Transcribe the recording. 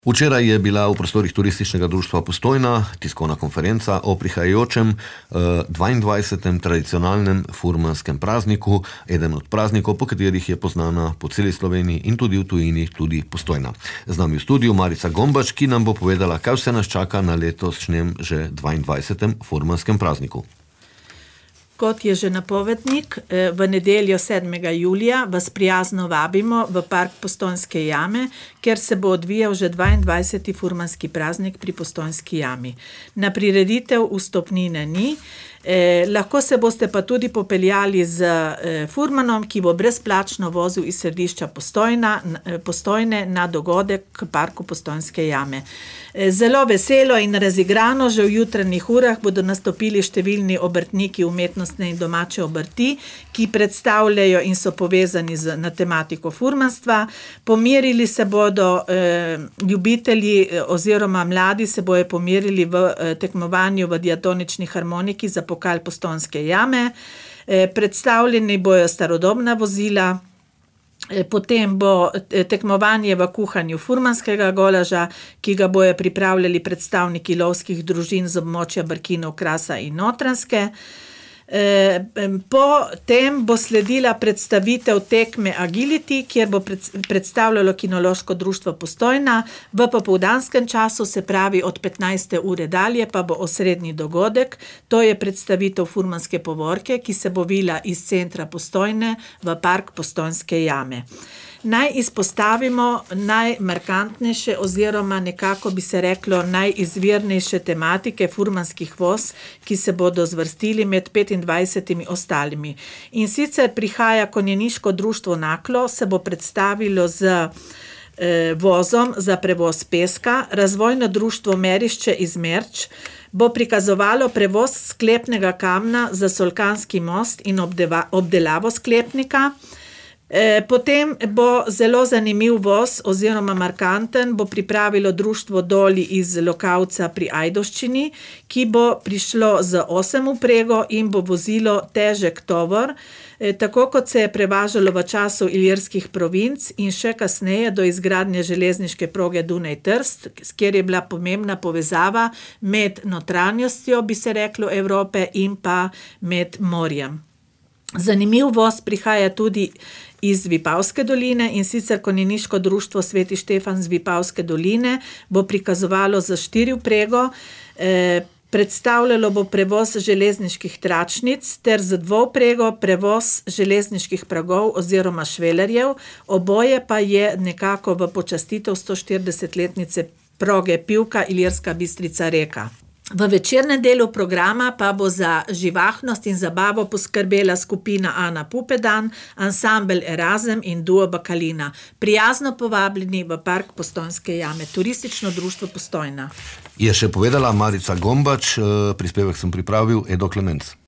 Včeraj je bila v prostorih Turističnega društva Postojna tiskovna konferenca o prihajajočem 22. tradicionalnem furmanskem prazniku, eden od praznikov, po katerih je poznana po celi Sloveniji in tudi v tujini tudi Postojna. Z nami v studiu Marica Gombač, ki nam bo povedala, kaj vse nas čaka na letošnjem že 22. furmanskem prazniku. Kot je že napovednik, v nedeljo 7. julija vas prijazno vabimo v park Postojnske jame, kjer se bo odvijal že 22. furmanski praznik pri Postojnski jami. Na prireditev vstopnine ni, lahko se boste pa tudi popeljali z furmanom, ki bo brezplačno vozil iz središča Postojne na dogodek k parku Postojnske jame. Zelo veselo in razigrano že v jutranjih urah bodo nastopili številni obrtniki umetnostne in domače obrti, ki predstavljajo in so povezani na tematiko furmanstva. Pomerili se bodo ljubitelji oziroma mladi se bojo pomerili v tekmovanju v diatonični harmoniki za pokal Postojnske jame. Predstavljeni bojo starodobna vozila. Potem bo tekmovanje v kuhanju furmanskega golaža, ki ga bojo pripravljali predstavniki lovskih družin z območja Brkinov, Krasa in Notranjske. Potem bo sledila predstavitev tekme Agility, kjer bo predstavljalo Kinološko društvo Postojna. V popoldanskem času, se pravi od 15. ure dalje, pa bo osrednji dogodek, to je predstavitev furmanske povorke, ki se bo vila iz centra Postojne v park Postojnske jame. Naj izpostavimo najmarkantnejše oziroma nekako bi se reklo najizvirnejše tematike furmanskih voz, ki se bodo zvrstili med 25 ostalimi. In sicer prihaja konjeniško društvo Naklo, se bo predstavilo z vozom za prevoz peska, razvojno društvo Merišče iz Merč bo prikazovalo prevoz sklepnega kamna za Solkanski most in obdelavo sklepnika. Potem bo zelo zanimiv voz oziroma markanten bo pripravilo društvo Doli iz Lokavca pri Ajdovščini, ki bo prišlo z 8 vprego in bo vozilo težek tovor, tako kot se je prevažalo v času ilirskih provinc in še kasneje do izgradnje železniške proge Dunaj-Trst, kjer je bila pomembna povezava med notranjostjo, bi se reklo, Evrope in pa med morjem. Zanimiv voz prihaja tudi iz Vipavske doline, in sicer konjeniško društvo Sveti Štefan z Vipavske doline bo prikazovalo za 4 vprego, predstavljalo bo prevoz železniških tračnic ter z 2 vprego prevoz železniških pragov oziroma švelerjev, oboje pa je nekako v počastitev 140-letnice proge Pivka Ilirska Bistrica-Reka. V večernem delu programa pa bo za živahnost in zabavo poskrbela skupina Ana Pupedan, ansambel Erazem in duo Bakalina. Prijazno povabljeni v park Postojnske jame, Turistično društvo Postojna. Je še povedala Marica Gombač, prispevek sem pripravil Edo Klemenc.